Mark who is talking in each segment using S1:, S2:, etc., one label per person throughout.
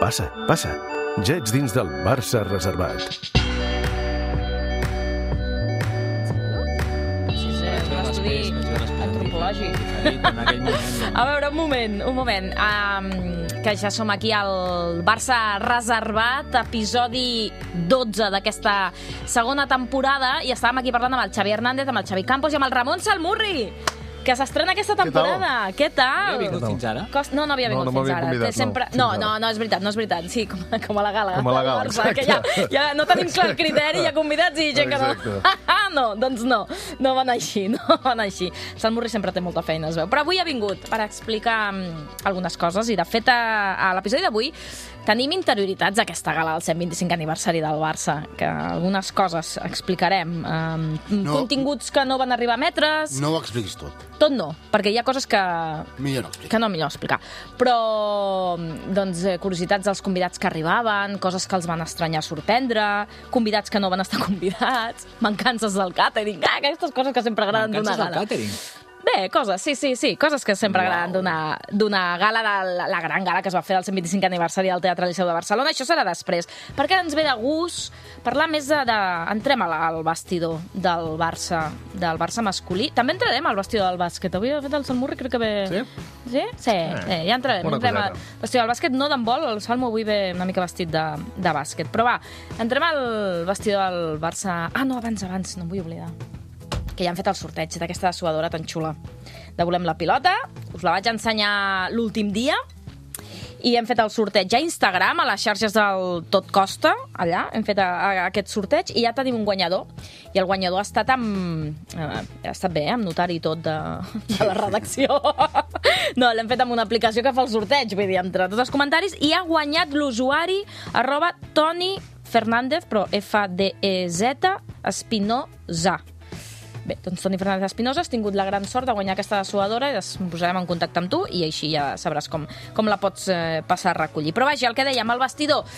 S1: Passa, passa. Ja ets dins del Barça reservat.
S2: Sí, és un estudi antropològic. A veure, un moment. Que ja som aquí al Barça reservat, episodi 12 d'aquesta segona temporada, i estàvem aquí parlant amb el Xavi Hernández, amb el Xavi Campos i amb el Ramon Salmurri, que s'estrena aquesta temporada. Què tal?
S3: Havia vingut fins ara?
S2: No havia vingut fins ara. No, és veritat. Sí, com a la gala.
S1: Com a la gala,
S2: Barça, que ja no tenim clar el criteri, hi ha convidats i gent que no. Doncs no van així. El Salmurri sempre té molta feina, es veu. Però avui ha vingut per explicar algunes coses, i de fet a l'episodi d'avui tenim interioritats d'aquesta gala del 125 aniversari del Barça, que algunes coses explicarem. Continguts que no van arribar a emetre's.
S4: No ho expliquis tot.
S2: Tot no, perquè hi ha coses que...
S4: Millor
S2: explicar. Però, doncs, curiositats dels convidats que arribaven, coses que els van estranyar sorprendre, convidats que no van estar convidats, mancances del càtering, aquestes coses que sempre agraden d'una gala.
S3: Mancances del càtering?
S2: Bé, coses, sí, coses que sempre agraden d'una gala, la gran gala que es va fer del 125 aniversari del Teatre Liceu de Barcelona. Això serà després, perquè ens ve de gust parlar més entrem al vestidor del Barça masculí. També entrarem al vestidor del bàsquet. Avui ha fet el Salmurri, crec que ve... Sí? Sí, ja entrarem. Entrem al vestidor del bàsquet, no d'handbol, el Salmo avui ve una mica vestit de bàsquet. Però va, entrem al vestidor del Barça... No, abans, no em vull oblidar, que ja han fet el sorteig d'aquesta dessuadora tan xula de Volem la pilota. Us la vaig ensenyar l'últim dia i hem fet el sorteig a Instagram, a les xarxes del Tot Costa, allà hem fet aquest sorteig i ja tenim un guanyador, i el guanyador ha estat bé, amb notari i tot de la redacció. No, l'hem fet amb una aplicació que fa el sorteig, vull dir, entre tots els comentaris, i ha guanyat l'usuari @Toni Fernández, però F-D-E-Z Espinosa. Bé, doncs Toni Fernández Espinosa, has tingut la gran sort de guanyar aquesta dessuadora i ens posarem en contacte amb tu i així ja sabràs com la pots passar a recollir. Però vaja, el que dèiem, al vestidor,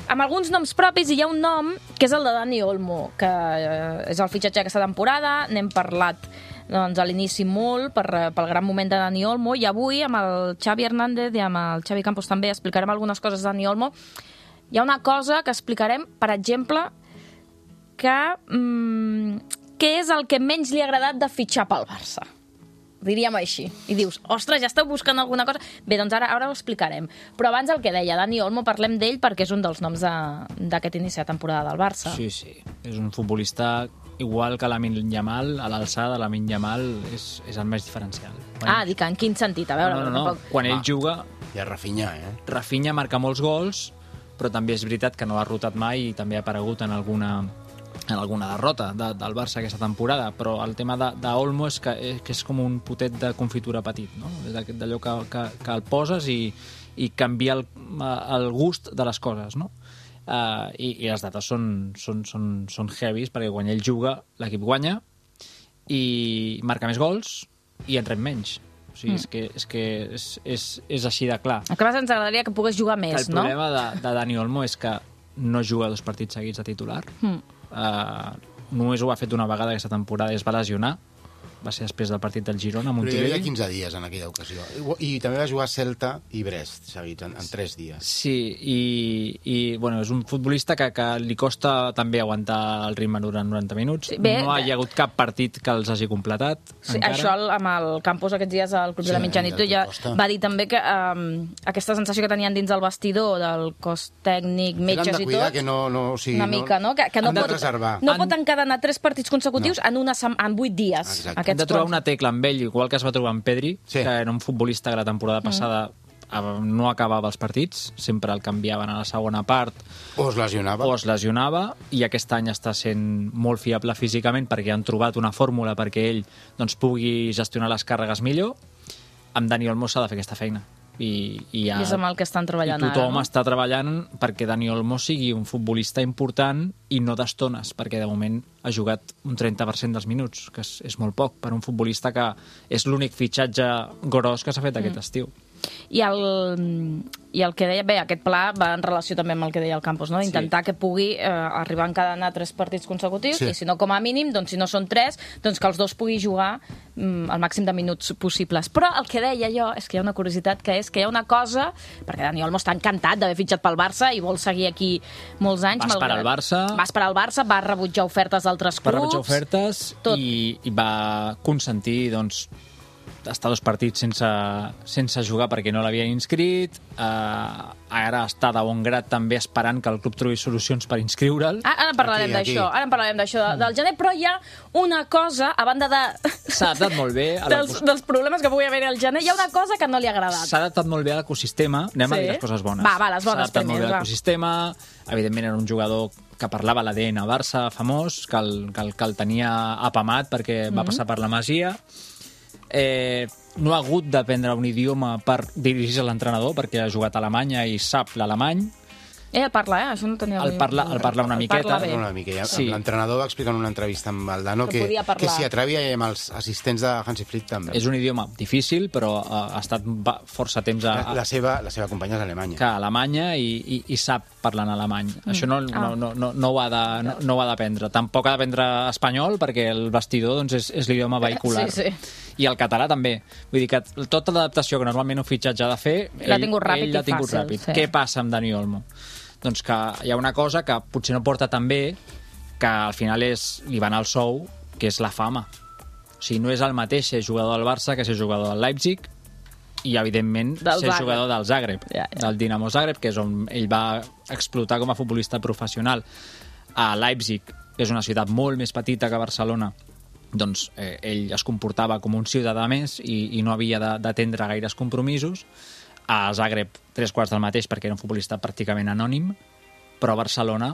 S2: amb alguns noms propis, i hi ha un nom que és el de Dani Olmo, que és el fitxatge d'aquesta temporada. N'hem parlat a l'inici molt pel gran moment de Dani Olmo, i avui amb el Xavi Hernández i amb el Xavi Campos també explicarem algunes coses de Dani Olmo. Hi ha una cosa que explicarem, per exemple, què és el que menys li ha agradat de fitxar pel Barça? Diríem així. I dius, ostres, ja esteu buscant alguna cosa? Bé, doncs ara ho explicarem. Però abans el que deia Dani Olmo, parlem d'ell perquè és un dels noms d'aquest inici de temporada del Barça.
S3: Sí. És un futbolista igual que Lamine Yamal, a l'alçada de Lamine Yamal és el més diferencial.
S2: Dic, en quin sentit? A veure...
S3: No. Quan ell juga...
S4: I a Rafinha,
S3: Rafinha marca molts gols, però també és veritat que no ha rotat mai i també ha aparegut en alguna derrota del Barça aquesta temporada, però el tema d'Olmo és que és com un potet de confitura petit, no? D'allò que el poses i canvia el gust de les coses, no? I les dates són heavies, perquè quan ell juga l'equip guanya i marca més gols i en rep menys. O sigui, és així de clar.
S2: A més, ens agradaria que pogués jugar més, no?
S3: El problema de Dani Olmo és que no juga 2 partits seguits de titular. Només ho ha fet una vegada aquesta temporada i es va lesionar. Va ser després del partit del Girona a Montilivi.
S4: Però hi havia 15 dies en aquella ocasió. I també va jugar Celta i Brest seguits, en 3 dies.
S3: Sí, i bueno, és un futbolista que li costa també aguantar el ritme durant 90 minuts. Sí, no hi ha hagut cap partit que els hagi completat.
S2: Sí, això amb el Campos aquests dies al Club de la Mitjanit ja va dir també que aquesta sensació que tenien dins del vestidor, del cos tècnic, metges i tot,
S4: que
S2: una mica, no? Que no pot encadenar 3 partits consecutius en 8 dies.
S3: Exacte. Hem de trobar una tecla amb ell, igual que es va trobar amb Pedri, que era un futbolista que la temporada passada no acabava els partits, sempre el canviaven a la segona part.
S4: O es lesionava.
S3: I aquest any està sent molt fiable físicament perquè han trobat una fórmula perquè ell pugui gestionar les càrregues millor. Amb Dani Olmo s'ha de fer aquesta feina. I
S2: és amb el que estan treballant ara.
S3: I tothom està treballant perquè Dani Olmo sigui un futbolista important i no d'estones, perquè de moment ha jugat un 30% dels minuts, que és molt poc per un futbolista que és l'únic fitxatge gros que s'ha fet aquest estiu.
S2: I el que deia, bé, aquest pla va en relació també amb el que deia el Campos, no? D'intentar que pugui arribar a encadenar 3 partits consecutius, i si no, com a mínim, doncs si no són 3, doncs que els 2 pugui jugar el màxim de minuts possibles. Però el que deia jo és que hi ha una curiositat, que és que hi ha una cosa, perquè Dani Olmo està encantat d'haver fitxat pel Barça i vol seguir aquí molts anys.
S3: Va esperar el Barça.
S2: Va esperar el Barça, va rebutjar ofertes d'altres clubs.
S3: Va rebutjar ofertes i va consentir, doncs, estar 2 partits sense jugar perquè no l'havien inscrit. Ara està de bon grat també esperant que el club trobi solucions per inscriure'l.
S2: Ara parlarem d'això, del gener, però hi ha una cosa, a banda de...
S3: S'ha adaptat molt bé
S2: dels problemes que pugui haver al gener, hi ha una cosa que no li ha agradat.
S3: S'ha adaptat molt bé a l'ecosistema. Anem a dir les coses bones.
S2: Va, les bones.
S3: S'ha adaptat molt bé a l'ecosistema. Evidentment era un jugador que parlava l'ADN Barça famós, que el tenia apamat perquè va passar per la Masia. No ha hagut d'aprendre un idioma per dirigir-se a l'entrenador, perquè ha jugat a Alemanya i sap l'alemany.
S2: El parla, això no tenia...
S3: El parla una miqueta.
S4: Sí. L'entrenador va explicar en una entrevista amb Valdano que s'hi atrevia i amb els assistents de Hansi Flick també.
S3: És un idioma difícil, però ha estat força temps
S4: La seva companya és alemanya.
S3: Que Alemanya i sap parlar en alemany. Això no ho ha d'aprendre. Tampoc ha d'aprendre espanyol, perquè el vestidor doncs, és l'idioma vehicular.
S2: Sí.
S3: I el català també. Vull dir que tota l'adaptació que normalment un fitxatge ha de fer, ell l'ha tingut ràpid.
S2: Sí.
S3: Què passa amb Dani Olmo? Doncs que hi ha una cosa que potser no porta tan bé, que al final li va anar el sou, que és la fama. O sigui, no és el mateix ser jugador del Barça que ser jugador del Leipzig i, evidentment, ser jugador del Zagreb, del Dinamo Zagreb, que és on ell va explotar com a futbolista professional. A Leipzig, que és una ciutat molt més petita que Barcelona, doncs ell es comportava com un ciutadà més i no havia d'atendre gaires compromisos. A Zagreb, 3/4 del mateix, perquè era un futbolista pràcticament anònim, però a Barcelona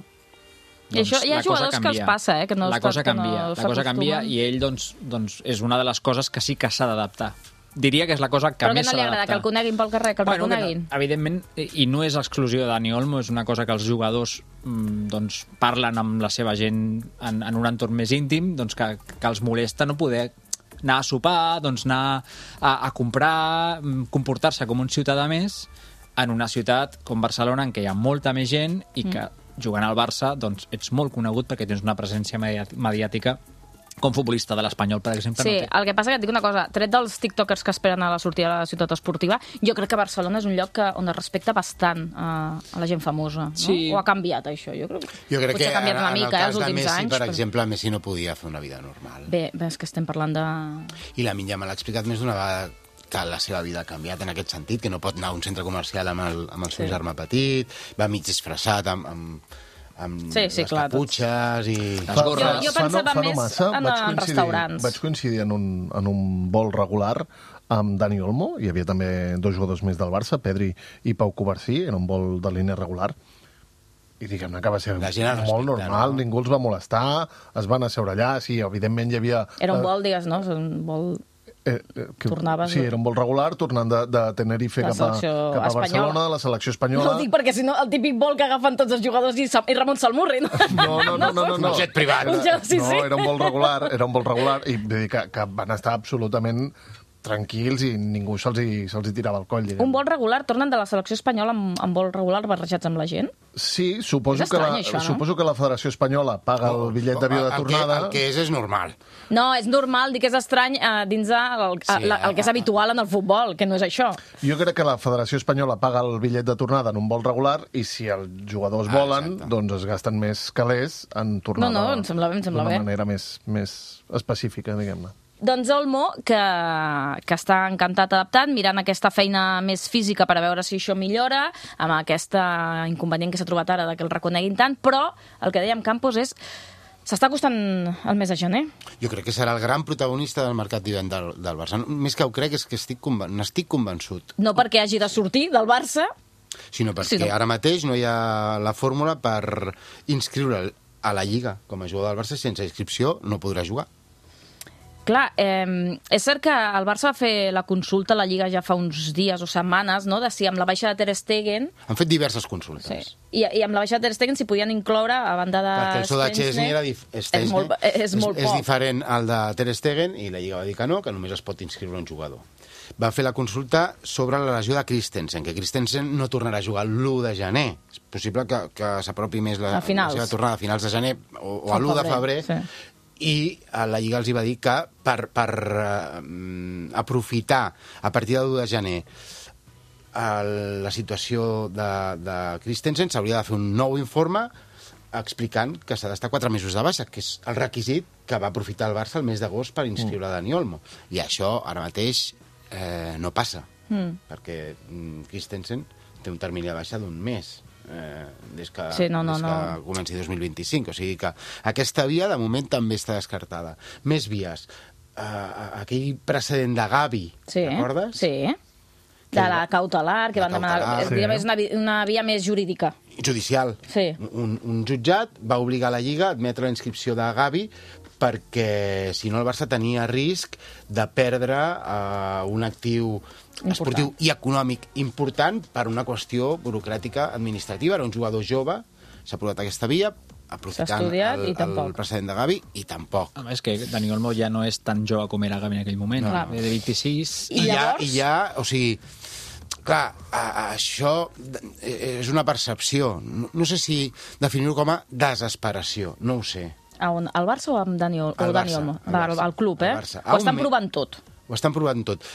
S3: doncs,
S2: hi ha jugadors que els passa, que no
S3: la cosa canvia i ell doncs, és una de les coses que sí que s'ha d'adaptar. Diria que és la cosa que més s'ha d'adaptar.
S2: Però que no li agrada que el coneguin pel carrer, que el reconeguin?
S3: Evidentment, i no és exclusió de Dani Olmo, és una cosa que els jugadors doncs, parlen amb la seva gent en un entorn més íntim, doncs, que els molesta no poder anar a sopar, doncs anar a comprar, comportar-se com un ciutadà més en una ciutat com Barcelona, en què hi ha molta més gent i que jugant al Barça doncs, ets molt conegut perquè tens una presència mediàtica com futbolista de l'Espanyol, per exemple.
S2: Sí, el que passa que et dic una cosa, tret dels tiktokers que esperen a la sortida de la ciutat esportiva, jo crec que Barcelona és un lloc on es respecta bastant a la gent famosa, no?
S3: Sí.
S2: O ha canviat això? Jo crec
S4: que
S2: ha canviat una mica,
S4: els
S2: últims
S4: Messi,
S2: anys.
S4: Per exemple, Messi no podia fer una vida normal.
S2: Bé, és que estem parlant de...
S4: I Lamine Yamal l'ha explicat més d'una vegada que la seva vida ha canviat en aquest sentit, que no pot anar a un centre comercial amb el seu germà petit, va mig disfressat amb les caputxes i...
S2: Jo pensava més en restaurants.
S5: Vaig coincidir en un vol regular amb Dani Olmo, hi havia també 2 jugadors més del Barça, Pedri i Pau Covarsí, en un vol de línia regular, i diguem-ne que va ser molt normal, no? Ningú els va molestar, es van asseure allà, sí, evidentment hi havia...
S2: Era un vol, digues, no? Un vol... Tornaves...
S5: Sí, era un vol regular, tornant de Tenerife cap a Barcelona, de la selecció espanyola.
S2: No ho dic perquè, si no, el típic vol que agafen tots els jugadors i Ramon Salmurri, no?
S5: No.
S4: Un jet privat.
S5: No, era un vol regular, i vull dir que van estar absolutament tranquils i ningú se'ls tirava al coll. Diguem.
S2: Un vol regular, tornen de la selecció espanyola amb vol regular barrejats amb la gent?
S5: Sí, suposo que la Federació Espanyola paga el bitllet d'avió de tornada.
S4: El que és normal.
S2: No, és normal, dic que és estrany dins el que és habitual en el futbol, que no és això.
S5: Jo crec que la Federació Espanyola paga el bitllet de tornada en un vol regular i si els jugadors volen, doncs es gasten més calés en tornada.
S2: No, em sembla bé.
S5: D'una manera més específica, diguem-ne.
S2: Doncs Olmo, que està encantat adaptant, mirant aquesta feina més física per a veure si això millora, amb aquest inconvenient que s'ha trobat ara de que el reconeguin tant, però el que dèiem Campos és s'està acostant el mes de gener.
S4: Jo crec que serà el gran protagonista del mercat d'hivern del Barça. Més que ho crec és que n'estic convençut.
S2: No perquè hagi de sortir del Barça,
S4: sinó perquè ara mateix no hi ha la fórmula per inscriure'l a la Lliga com a jugador del Barça. Sense inscripció no podrà jugar.
S2: Clar, és cert que el Barça va fer la consulta a la Lliga ja fa uns dies o setmanes, no?, de si amb la baixa de Ter Stegen...
S4: Han fet diverses consultes.
S2: Sí. I amb la baixa de Ter Stegen s'hi podien incloure, a banda de...
S4: Perquè el so de Chesney és
S2: molt poc.
S4: diferent al de Ter Stegen i la Lliga va dir que no, que només es pot inscriure un jugador. va fer la consulta sobre la lesió de Christensen, que Christensen no tornarà a jugar l'1 de gener. És possible que s'apropi més la seva tornada a finals de gener o a l'1 de febrer. Sí. I la Lliga els hi va dir que per aprofitar a partir del 1 de gener la situació de Christensen s'hauria de fer un nou informe explicant que s'ha d'estar 4 mesos de baixa, que és el requisit que va aprofitar el Barça el mes d'agost per inscriure Dani Olmo. I això ara mateix no passa, perquè Christensen té un termini de baixa d'1 mes des que comenci 2025. O sigui que aquesta via de moment també està descartada. Més vies. Aquell precedent de Gavi, recordes?
S2: Sí. De la cautelar, que van demanar... És una via més jurídica.
S4: Judicial.
S2: Sí.
S4: Un jutjat va obligar la Lliga a admetre la inscripció de Gavi perquè, si no, el Barça tenia risc de perdre un actiu esportiu i econòmic important per una qüestió burocràtica administrativa. Era un jugador jove, s'ha provat aquesta via, aprofitant el precedent de Gavi, i tampoc.
S3: És que Dani Olmo ja no és tan jove com era Gavi en aquell moment, de 26...
S4: I ja, o sigui... Clar, això és una percepció. No sé si definir-ho com a desesperació, no ho sé.
S2: Al Barça o amb Dani Olmo? Al club, eh? Ho estan provant tot.
S4: Ho estan provant tot.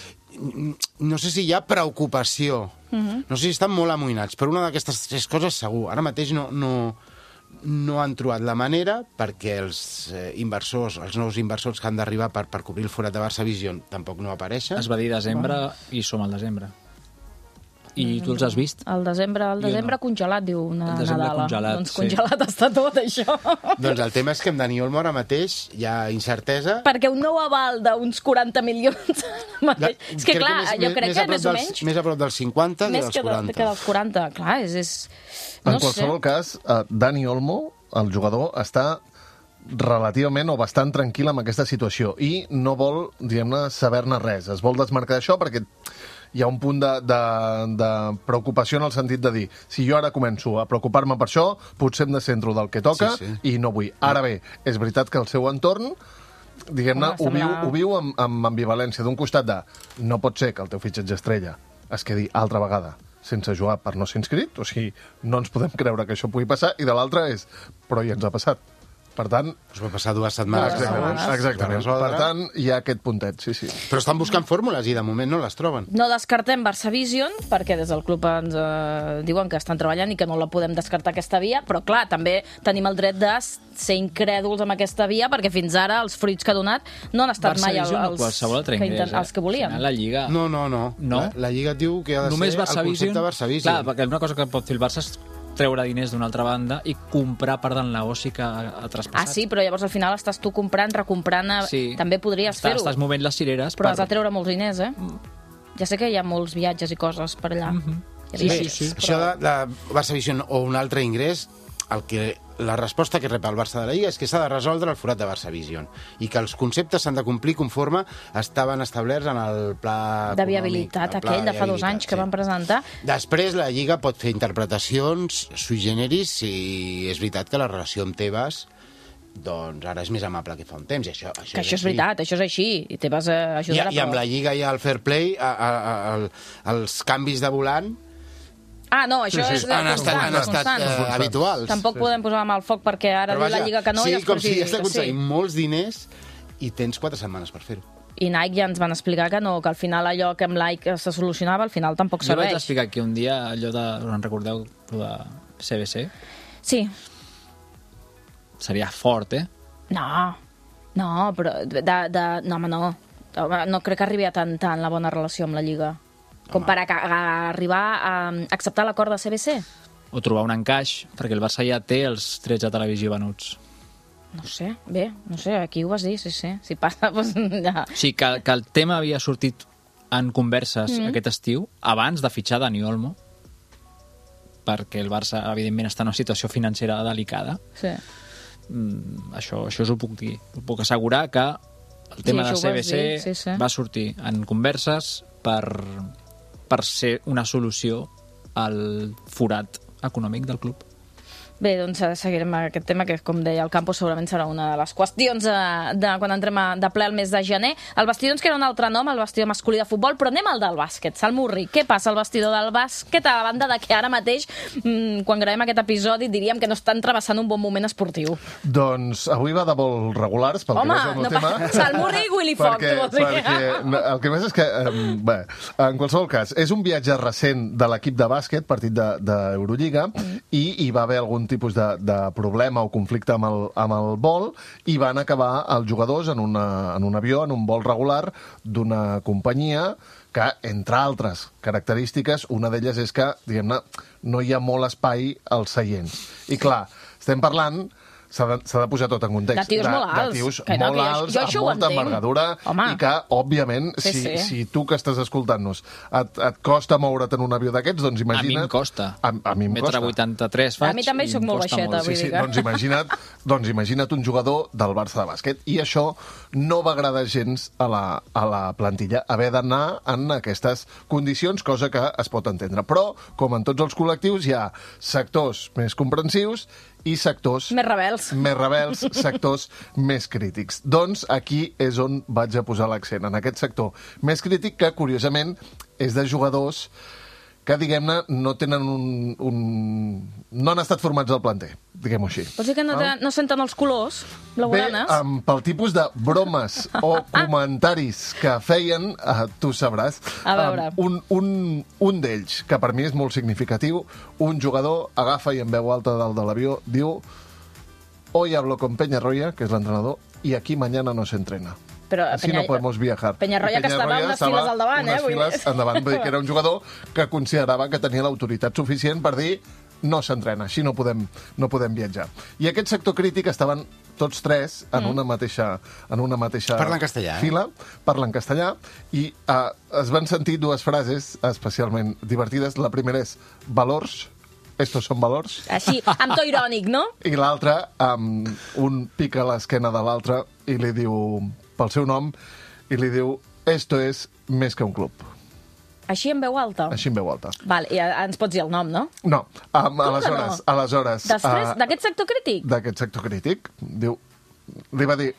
S4: No sé si hi ha preocupació. No sé si estan molt amoïnats, però una d'aquestes 3 coses segur. Ara mateix no han trobat la manera perquè els nous inversors que han d'arribar per cobrir el forat de Barça Vision tampoc no apareixen.
S3: Es va dir desembre i som al desembre. I tu els has vist?
S2: El desembre congelat, diu una Nadala. Doncs congelat està tot, això.
S4: Doncs el tema és que amb Dani Olmo ara mateix hi ha incertesa.
S2: Perquè un nou aval d'uns 40 milions... És que clar, jo crec que més o menys...
S4: Més a prop dels 50 que dels 40.
S2: Que dels 40, clar, és...
S5: En qualsevol cas, Dani Olmo, el jugador, està relativament o bastant tranquil amb aquesta situació i no vol, diguem-ne, saber-ne res. Es vol desmarcar d'això perquè hi ha un punt de preocupació en el sentit de dir, si jo ara començo a preocupar-me per això, potser em descentro del que toca i no vull. Ara bé, és veritat que el seu entorn, diguem-ne, ho viu amb ambivalència. D'un costat de, no pot ser que el teu fitxatge estrella es quedi altra vegada sense jugar per no ser inscrit, o sigui, no ens podem creure que això pugui passar, i de l'altra és, però ja ens ha passat. Per tant...
S4: Us va passar 2 setmanes.
S5: Exactament. Per tant, hi ha aquest puntet, sí.
S4: Però estan buscant fórmules i de moment no les troben.
S2: No descartem Barça Vision, perquè des del club ens diuen que estan treballant i que no la podem descartar aquesta via, però clar, també tenim el dret de ser incrèduls amb aquesta via, perquè fins ara els fruits que ha donat no han estat mai els que volien.
S3: La Lliga...
S4: No. La Lliga diu que ha de ser el concepte Barça Vision.
S3: Clar, perquè una cosa que pot fer el Barça és treure diners d'una altra banda i comprar part del negoci que ha traspassat.
S2: Sí, però llavors al final estàs tu comprant, recomprant... També podries fer-ho.
S3: Estàs movent les cireres.
S2: Però has de treure molts diners, Ja sé que hi ha molts viatges i coses per allà.
S4: Sí. Això de Barça Vision o un altre ingrés, la resposta que rep el Barça de la Lliga és que s'ha de resoldre el forat de Barça Vision i que els conceptes s'han de complir conforme estaven establerts en el pla
S2: de viabilitat aquell de fa 2 anys que van presentar.
S4: Després la Lliga pot fer interpretacions sui generis si és veritat que la relació amb Tebas doncs ara és més amable que fa un temps. Això
S2: és veritat, això és així. I Tebas ajudarà.
S4: I amb la Lliga i el Fair Play els canvis de volant
S2: no, això és
S4: han estat habituals.
S2: Tampoc podem posar la mà al foc perquè ara diu la Lliga que no.
S4: Sí, com si has d'aconseguir molts diners i tens 4 setmanes per fer-ho.
S2: I Nike ja ens van explicar que no, que al final allò que amb Nike se solucionava, al final tampoc serveix.
S3: Jo vaig explicar que un dia allò de... En recordeu de CBC?
S2: Sí.
S3: Seria fort,
S2: No, però... No, home, no. No crec que arribi a tant la bona relació amb la Lliga. Com per arribar a acceptar l'acord de CBC?
S3: O trobar un encaix, perquè el Barça ja té els drets de televisió venuts.
S2: No sé, aquí ho vas dir, sí. Si passa, doncs ja...
S3: Sí, que el tema havia sortit en converses aquest estiu, abans de fitxar Dani Olmo, perquè el Barça, evidentment, està en una situació financera delicada.
S2: Sí.
S3: Això us ho puc dir. Us puc assegurar que el tema de CBC va sortir en converses per ser una solució al forat econòmic del club.
S2: Bé, doncs seguirem aquest tema, que com deia el Campos segurament serà una de les qüestions de quan entrem de ple al mes de gener. El vestidor ens queda un altre nom, el vestidor masculí de futbol, però anem al del bàsquet. Salmurri, què passa al vestidor del bàsquet a banda de que ara mateix, quan gravem aquest episodi, diríem que no estan travessant un bon moment esportiu?
S5: Doncs avui va de molt regulars, pel que veig el meu tema.
S2: Salmurri i Willy Fox, tu vols dir?
S5: Perquè el que més és que, bé, en qualsevol cas, és un viatge recent de l'equip de bàsquet, partit d'Eurolliga, i hi va haver algun tipus de problema o conflicte amb el vol, i van acabar els jugadors en un avió, en un vol regular d'una companyia que, entre altres característiques, una d'elles és que, diguem-ne, no hi ha molt espai als seients. I clar, estem parlant... S'ha de posar tot en context.
S2: De tios molt alts.
S5: De tios molt alts, amb molta envergadura, i que, òbviament, si tu que estàs escoltant-nos et costa moure't en un avió d'aquests, doncs imagina't...
S3: A mi em costa.
S5: A mi em costa.
S3: 1,83 faig.
S2: A mi també soc molt baixeta, vull dir que...
S5: Doncs imagina't un jugador del Barça de bàsquet. I això no va agradar gens a la plantilla, haver d'anar en aquestes condicions, cosa que es pot entendre. Però, com en tots els col·lectius, hi ha sectors més comprensius i sectors...
S2: Més rebels,
S5: sectors més crítics. Doncs aquí és on vaig a posar l'accent, en aquest sector més crític, que, curiosament, és de jugadors que, diguem-ne, no tenen no han estat formats al planter, diguem-ho així.
S2: Vols dir que no senten els colors blaugranes?
S5: Bé, pel tipus de bromes o comentaris que feien, tu sabràs.
S2: A veure.
S5: Un d'ells, que per mi és molt significatiu, un jugador agafa i en veu alta dalt de l'avió diu: hoy hablo con Peñarroya, que és l'entrenador, y aquí mañana no se entrena.
S2: Però
S5: Así no podemos viajar.
S2: Peñarroya que estava unes files al davant,
S5: unes files endavant, vull dir que era un jugador que considerava que tenia l'autoritat suficient per dir no s'entrena, així no podem viatjar. I aquest sector crític estaven tots tres en una mateixa
S4: Parlen castellà,
S5: fila, parlen castellà, i es van sentir dues frases especialment divertides. La primera és valors, estos son valors.
S2: Així, amb to irònic, no?
S5: I l'altra, un pica l'esquena de l'altre i li diu, pel seu nom, i li diu: esto es més que un club.
S2: Així en veu alta?
S5: Així en veu alta.
S2: Val, i ens pots dir el nom, no?
S5: No.
S2: Aleshores... Després, d'aquest sector crític?
S5: D'aquest sector crític, diu... Li va dir: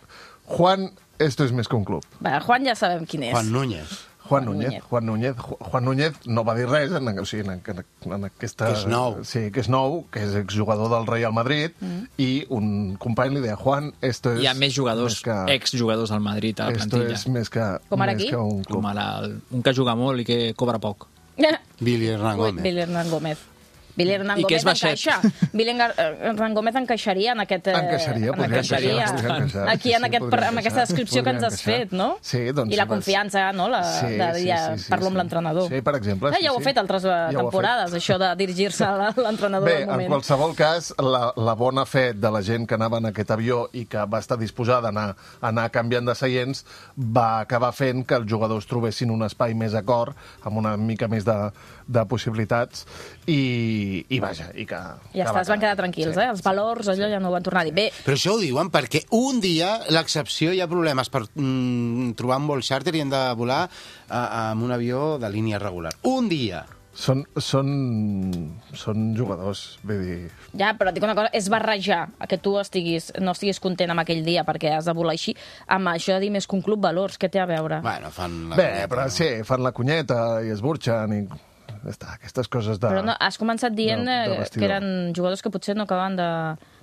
S5: Juan, esto es més que un club.
S2: Va, Juan ja sabem quin és.
S4: Juan Núñez.
S5: Juan Núñez no va dir res en aquesta...
S4: Que és nou.
S5: Sí, que és nou, que és exjugador del Real Madrid, i un company li deia: Juan, esto es...
S3: Hi ha més jugadors, exjugadors al Madrid a la plantilla.
S5: Esto és més que un club.
S3: Com ara un que juga molt i que cobra poc.
S2: Billy Hernán Gómez. Billy Hernán Gómez encaixa. Billy Hernán Gómez encaixaria en aquest...
S5: Encaixaria.
S2: Aquí, en aquesta descripció que ens has fet, no?
S5: Sí, doncs...
S2: I la confiança, no? Parlo amb l'entrenador.
S5: Sí, per exemple.
S2: Ja ho ha fet altres temporades, això de dirigir-se a l'entrenador del moment.
S5: Bé, en qualsevol cas, la bona fe de la gent que anava en aquest avió i que va estar disposada a anar canviant de seients va acabar fent que els jugadors trobessin un espai més acord, amb una mica més de possibilitats, i vaja, i que...
S2: Ja està, es van quedar tranquils, Els valors, allò ja no ho van tornar a dir. Bé.
S4: Però això ho diuen perquè un dia l'excepció hi ha problemes per trobar un vol xàrter i hem de volar amb un avió de línia regular. Un dia!
S5: Són jugadors, vull dir...
S2: Ja, però et dic una cosa, és barrejar que tu no estiguis content amb aquell dia perquè has de volar així, amb això de dir més que un club valors, què té a veure?
S4: Bueno, fan la
S5: cunyeta. Però sí, fan la cunyeta i es burxen i... Aquestes coses de...
S2: Però no, has començat dient que eren jugadors que potser no acaben de...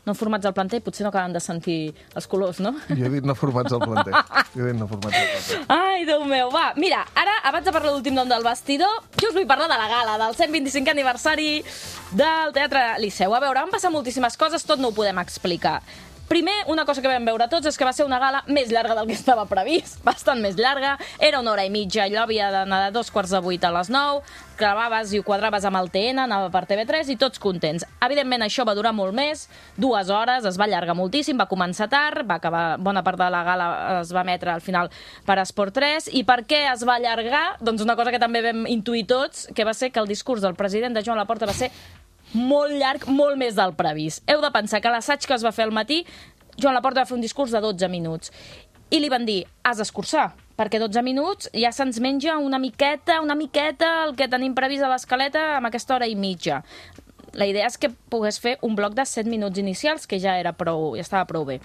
S2: no formats al planter, potser no acaben de sentir els colors, no?
S5: Jo he dit no formats al planter.
S2: Ai, Déu meu, va. Mira, ara, abans de parlar de l'últim nom del vestidor, jo us vull parlar de la gala, del 125 aniversari del Teatre Liceu. A veure, van passar moltíssimes coses, tot no ho podem explicar. Primer, una cosa que vam veure tots és que va ser una gala més llarga del que estava previst, bastant més llarga, era 1 hora i mitja, allò havia d'anar de 2:45 a les 9, clavaves i ho quadraves amb el TN, anava per TV3 i tots contents. Evidentment això va durar molt més, 2 hores, es va allargar moltíssim, va començar tard, va acabar, bona part de la gala es va emetre al final per Esport 3, i per què es va allargar? Doncs una cosa que també vam intuir tots, que va ser que el discurs del president de Joan Laporta va ser molt llarg, molt més del previst. Heu de pensar que l'assaig que es va fer al matí, Joan Laporta va fer un discurs de 12 minuts. I li van dir, has d'escurçar, perquè 12 minuts ja se'ns menja una miqueta el que tenim previst a l'escaleta amb aquesta hora i mitja. la idea és que pogués fer un bloc de 7 minuts inicials, que ja estava prou bé.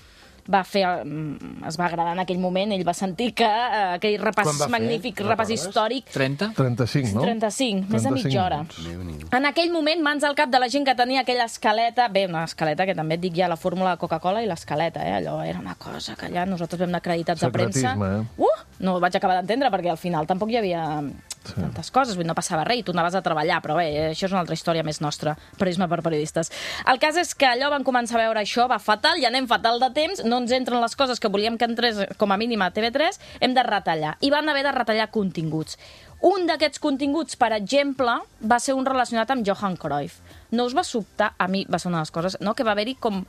S2: Es va agradar en aquell moment, ell va sentir que aquell magnífic repàs històric...
S3: 30?
S5: 35, no?
S2: 35, més de mitja hora. En aquell moment, mans al cap de la gent que tenia aquella escaleta, una escaleta que també et dic ja la fórmula de Coca-Cola i l'escaleta, allò era una cosa que allà nosaltres vam anar acreditats a premsa. No ho vaig acabar d'entendre perquè al final tampoc hi havia tantes coses, no passava res i tu anaves a treballar, però bé, això és una altra història més nostra, periodisme per periodistes. El cas és que allò van començar a veure això, va fatal, ja anem fatal de temps, no ens entren les coses que volíem que entrés com a mínim a TV3, hem de retallar. I van haver de retallar continguts. Un d'aquests continguts, per exemple, va ser un relacionat amb Johan Cruyff. No us va sobtar, a mi va ser una de les coses, no? Que va haver-hi com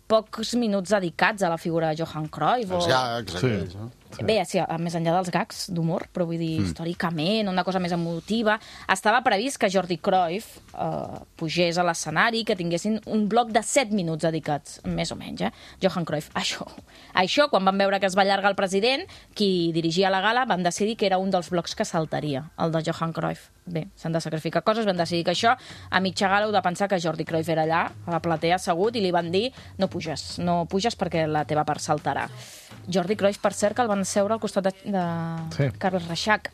S2: pocs minuts dedicats a la figura de Johan Cruyff.
S4: Els gags, aquells, no?
S2: Bé, sí, més enllà dels gags d'humor, però vull dir, històricament, una cosa més emotiva. Estava previst que Jordi Cruyff pugés a l'escenari, que tinguessin un bloc de 7 minuts dedicats, més o menys, Johan Cruyff. Això, quan van veure que es va allargar el president, qui dirigia la gala, van decidir que era un dels blocs que saltaria, el de Johan Cruyff. Bé, s'han de sacrificar coses, van decidir que això, a mitja gala heu de pensar que Jordi Cruyff era allà, a la platea assegut, i li van dir no puges perquè la teva part saltarà. Jordi Cruyff, per cert, que el van seure al costat de Carles Reixac.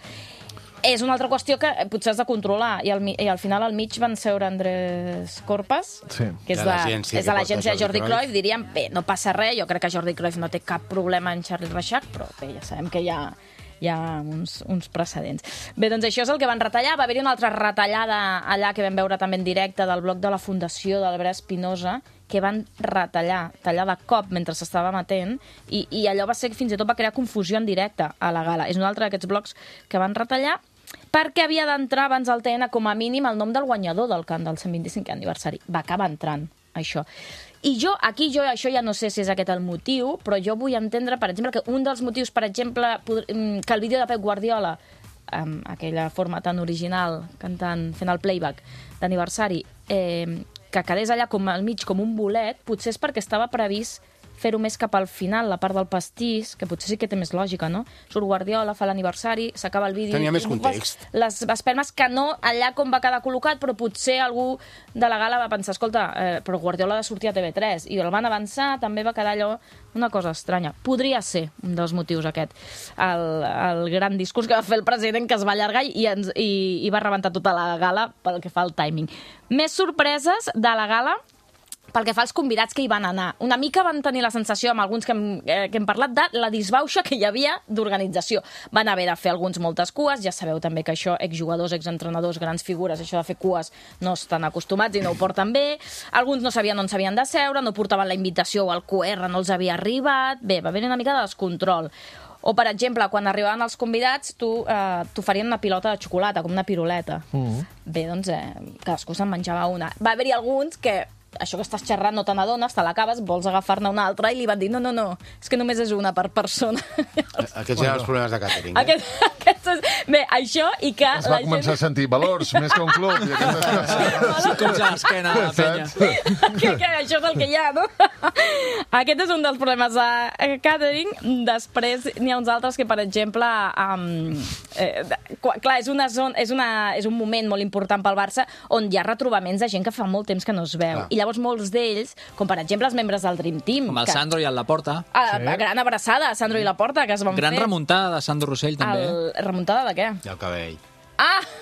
S2: És una altra qüestió que potser has de controlar, i al final al mig van seure Andrés Corpas, que és de l'agència de Jordi Cruyff. Diríem, bé, no passa res, jo crec que Jordi Cruyff no té cap problema en Carles Reixac, però bé, ja sabem que hi ha uns precedents. Bé, doncs això és el que van retallar. Va haver-hi una altra retallada allà que vam veure també en directe del bloc de la Fundació d'Albert Espinosa, que van tallar de cop mentre s'estava emetent, i allò va ser que fins i tot va crear confusió en directe a la gala. És un altre d'aquests blocs que van retallar perquè havia d'entrar abans al TN com a mínim el nom del guanyador del cant del 125è aniversari. Va acabar entrant, això. I això ja no sé si és aquest el motiu, però jo vull entendre, per exemple, que un dels motius, per exemple, que el vídeo de Pep Guardiola, amb aquella forma tan original, fent el playback d'aniversari, que quedés allà com al mig, com un bolet, potser és perquè estava previst fer-ho més cap al final, la part del pastís, que potser sí que té més lògica, no? Surt Guardiola, fa l'aniversari, s'acaba el vídeo...
S4: Tenia més context.
S2: Les espelmes que no allà com va quedar col·locat, però potser algú de la gala va pensar, escolta, però Guardiola ha de sortir a TV3, i el van avançar, també va quedar allò una cosa estranya. Podria ser un dels motius aquest, el gran discurs que va fer el president, que es va allargar i va rebentar tota la gala pel que fa al timing. Més sorpreses de la gala, pel que fa als convidats que hi van anar. Una mica van tenir la sensació, amb alguns que hem parlat, de la disbauxa que hi havia d'organització. Van haver de fer alguns moltes cues, ja sabeu també que això, exjugadors, exentrenadors, grans figures, això de fer cues no estan acostumats i no ho porten bé. Alguns no sabien on s'havien de seure, no portaven la invitació o el QR, no els havia arribat. Bé, va haver una mica de descontrol. O, per exemple, quan arribaven els convidats, t'oferien una pilota de xocolata, com una piruleta. Bé, doncs, cadascú se'n menjava una. Va haver-hi alguns que això que estàs xerrant no te n'adones, te l'acabes, vols agafar-ne una altra, i li van dir, no, és que només és una per persona.
S4: Aquests eren els problemes de càtering.
S2: Bé, això i que...
S5: Es va començar a sentir valors, més que un club, i aquestes coses.
S3: Sí, com ja l'esquena de la penya.
S2: Això és el que hi ha, no? Aquest és un dels problemes de càtering. Després n'hi ha uns altres que, per exemple, clar, és un moment molt important pel Barça on hi ha retrobaments de gent que fa molt temps que no es veu. I llavors molts d'ells, com per exemple els membres del Dream Team...
S3: Com el Sandro i el Laporta.
S2: Gran abraçada a Sandro i Laporta, que es van fer.
S3: Gran remuntada de Sandro Rossell, també.
S2: Remuntada de què?
S4: I el cabell.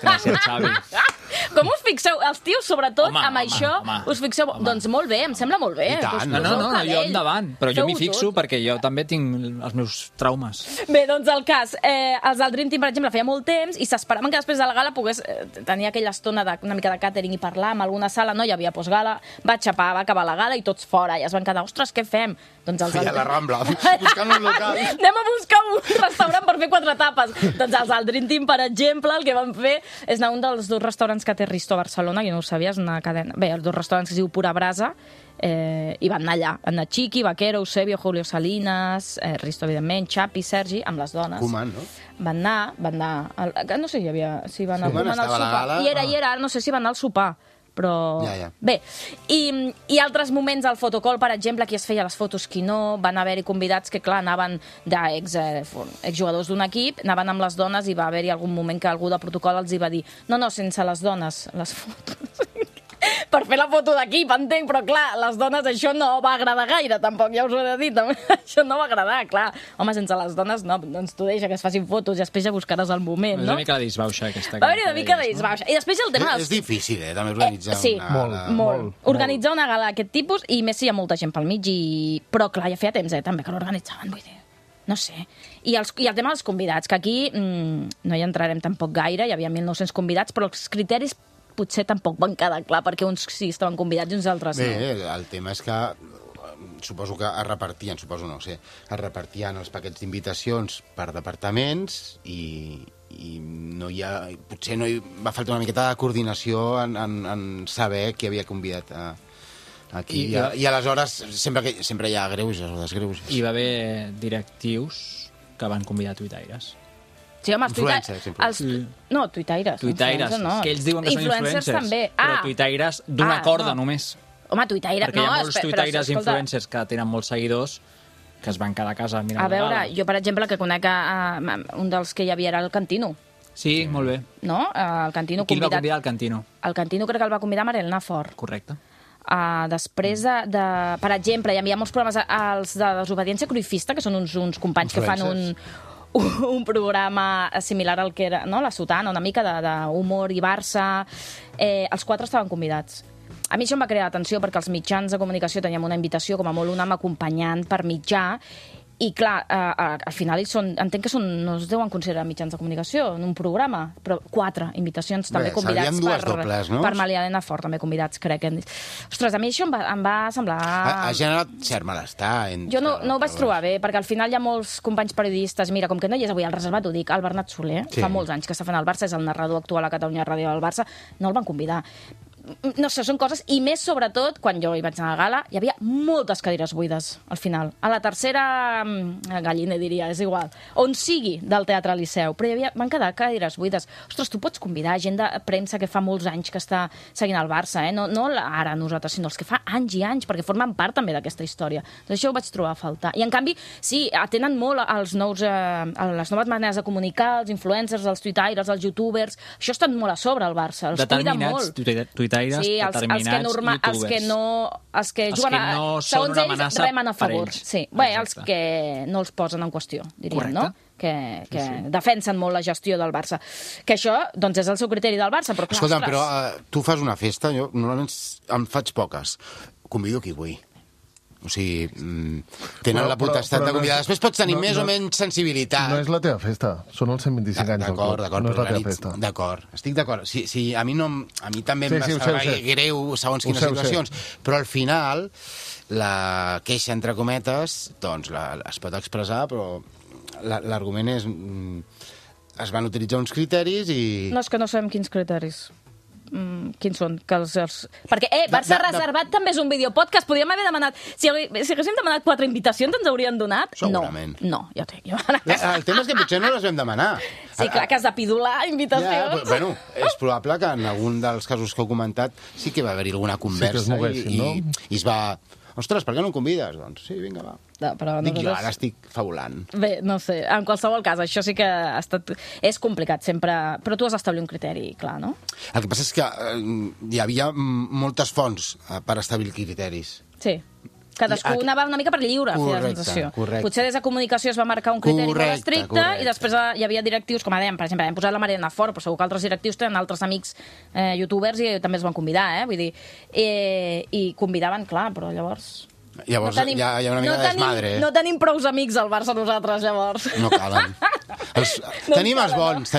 S3: Gràcies, Xavi.
S2: Com us fixeu? Els tios, sobretot, amb això, us fixeu... Doncs molt bé, em sembla molt bé.
S4: I tant.
S3: No, jo endavant. Però jo m'hi fixo perquè jo també tinc els meus traumes.
S2: Bé, doncs el cas, els del Dream Team, per exemple, feia molt temps i s'esperaven que després de la gala pogués tenir aquella estona una mica de càtering i parlar amb alguna sala. No hi havia postgala, va xapar, va acabar la gala i tots fora. I es van quedar, ostres, què fem? Doncs els
S4: a la Rambla, buscant un local.
S2: Anem a buscar un restaurant per fer 4 tapes. Doncs els del Dream Team, per exemple, el que van fer és anar a un dels 2 restaurants que té Risto a Barcelona, que no ho sabies, una cadena... Bé, els 2 restaurants que es diu Pura Brasa, i van anar allà. Van anar Chiqui, Vaquero, Eusebio, Julio Salinas, Risto, evidentment, Xapi, Sergi, amb les dones.
S4: Koeman, no?
S2: Van anar... No sé si van anar al sopar. I era, no sé si van anar al sopar. Però... Bé, i altres moments al fotocall, per exemple, qui es feia les fotos, qui no, van haver-hi convidats que, clar, anaven d'exjugadors d'un equip, anaven amb les dones i va haver-hi algun moment que algú de protocol els hi va dir no, sense les dones, les fotos. per fer la foto d'equip, entenc, però clar, les dones això no va agradar gaire, tampoc, ja us ho he de dir, també. Això no va agradar, clar. Home, sense les dones no, doncs tu deixa que es facin fotos i després ja buscaràs el moment, no?
S3: És una mica la disbauxa, aquesta.
S2: Va haver-hi una mica de disbauxa. I després el tema...
S4: És difícil, també, organitzar una...
S2: Molt. Organitzar una gala d'aquest tipus, i més si hi ha molta gent pel mig, però clar, ja feia temps, també, que l'organitzaven, vull dir... No sé. I el tema dels convidats, que aquí no hi entrarem tampoc gaire, hi havia 1.900 convidats, però els criteris potser tampoc van quedar clar, perquè uns sí estaven convidats i uns altres no.
S4: Bé, el tema és que suposo que es repartien els paquets d'invitacions per departaments i no hi ha... Potser no hi va faltar una miqueta de coordinació en saber qui havia convidat aquí. I aleshores sempre hi ha greuges o desgreuges.
S3: Hi va haver directius que van convidar tuitaires.
S2: Sí, home, els tuitaires... No, tuitaires.
S3: Tuitaires, no. Que ells diuen que són influencers, també. Però tuitaires d'una corda només.
S2: Home, tuitaires...
S3: Perquè hi ha molts tuitaires influencers que tenen molts seguidors que es van quedar a casa mirant la gala.
S2: A veure, jo, per exemple, que conec un dels que hi havia era el Cantino.
S3: Sí, molt bé.
S2: No? El Cantino
S3: Qui el va convidar, el Cantino?
S2: El Cantino crec que el va convidar Mariel Nafort.
S3: Correcte.
S2: Després per exemple, hi havia molts programes, els de Desobediència Cruifista, que són uns companys que fan un programa similar al que era, no? La Sotana, una mica d'humor i Barça. Els 4 estaven convidats. A mi això em va crear atenció perquè els mitjans de comunicació teníem una invitació, com a molt un home acompanyant per mitjà, i clar, al final entenc que no es deuen considerar mitjans de comunicació en un programa, però 4 invitacions també convidats per Mariel Nafort, també convidats, crec. Ostres, a mi això em va semblar...
S4: Ha generat cert malestar.
S2: Jo no ho vaig trobar bé, perquè al final hi ha molts companys periodistes, mira, com que no hi és avui al Reservat, ho dic, el Bernat Soler, fa molts anys que està fent el Barça, és el narrador actual a Catalunya Ràdio del Barça, no el van convidar. No sé, són coses, i més sobretot quan jo hi vaig anar a la gala, hi havia moltes cadires buides al final, a la tercera galliner diria, és igual, on sigui del Teatre Liceu, però van quedar cadires buides. Ostres, tu pots convidar gent de premsa que fa molts anys que està seguint el Barça, no ara nosaltres, sinó els que fa anys i anys, perquè formen part també d'aquesta història. Doncs això ho vaig trobar a faltar. I en canvi, sí, atenen molt les noves maneres de comunicar, els influencers, els tuitaires, els youtubers, això estan molt a sobre el Barça, els cuida molt.
S3: Sí,
S2: els que juguen segons ells remen a favor. Sí. Bé, els que no els posen en qüestió, diríem, no? Que defensen molt la gestió del Barça. Que això, doncs, és el seu criteri del Barça, però clar,
S4: escolta, però tu fas una festa, jo normalment en faig poques. Convido qui vull. O sigui, tenen la potestat de convidar. Després pots tenir més o menys sensibilitat.
S5: No és la teva festa, són els 125 anys del club.
S4: D'acord,
S5: no és la teva festa.
S4: D'acord, estic d'acord. Sí, a mi també em va saber greu segons quines situacions, però al final la queixa, entre cometes, doncs es pot expressar, però l'argument és... Es van utilitzar uns criteris i...
S2: No, és que no sabem quins criteris. Quins són? Perquè, Barça Reservat també és un videopodcast. Podríem haver demanat... Si haguéssim demanat 4 invitacions, ens haurien donat?
S4: Segurament.
S2: No, ja ho tinc.
S4: El tema és que potser no les vam demanar.
S2: Sí, clar, que has de pidolar invitacions.
S4: Bueno, és probable que en algun dels casos que heu comentat sí que va haver-hi alguna conversa i es va... Ostres, per què no em convides? Doncs sí, vinga, va. Dic jo, ara estic fabulant.
S2: Bé, no sé, en qualsevol cas, això sí que és complicat sempre, però tu has d'establir un criteri, clar, no?
S4: El que passa és que hi havia moltes fonts per establir criteris.
S2: Sí. Cadascú anava una mica per lliure, feia la sensació.
S4: Correcte.
S2: Potser des de comunicació es va marcar un criteri molt estricte i després hi havia directius, com dèiem, per exemple, hem posat la Mariel Nafort, però segur que altres directius tenen altres amics youtubers i també es van convidar, vull dir, i convidaven, clar, però llavors...
S4: Llavors hi ha una mica de desmadre.
S2: No tenim prous amics al Barça nosaltres, llavors.
S4: No calen. Tenim els bons.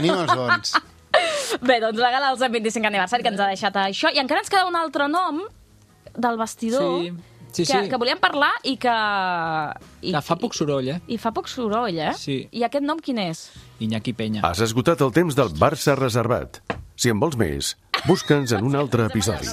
S2: Bé, doncs la gala del 125 aniversari que ens ha deixat això, i encara ens queda un altre nom del vestidor...
S3: Sí.
S2: Que volíem parlar i que...
S3: Que fa poc soroll,
S2: I fa poc soroll,
S3: Sí.
S2: I aquest nom quin és?
S3: Iñaki Peña.
S1: Has esgotat el temps del Barça Reservat. Si en vols més, busca'ns en un altre episodi.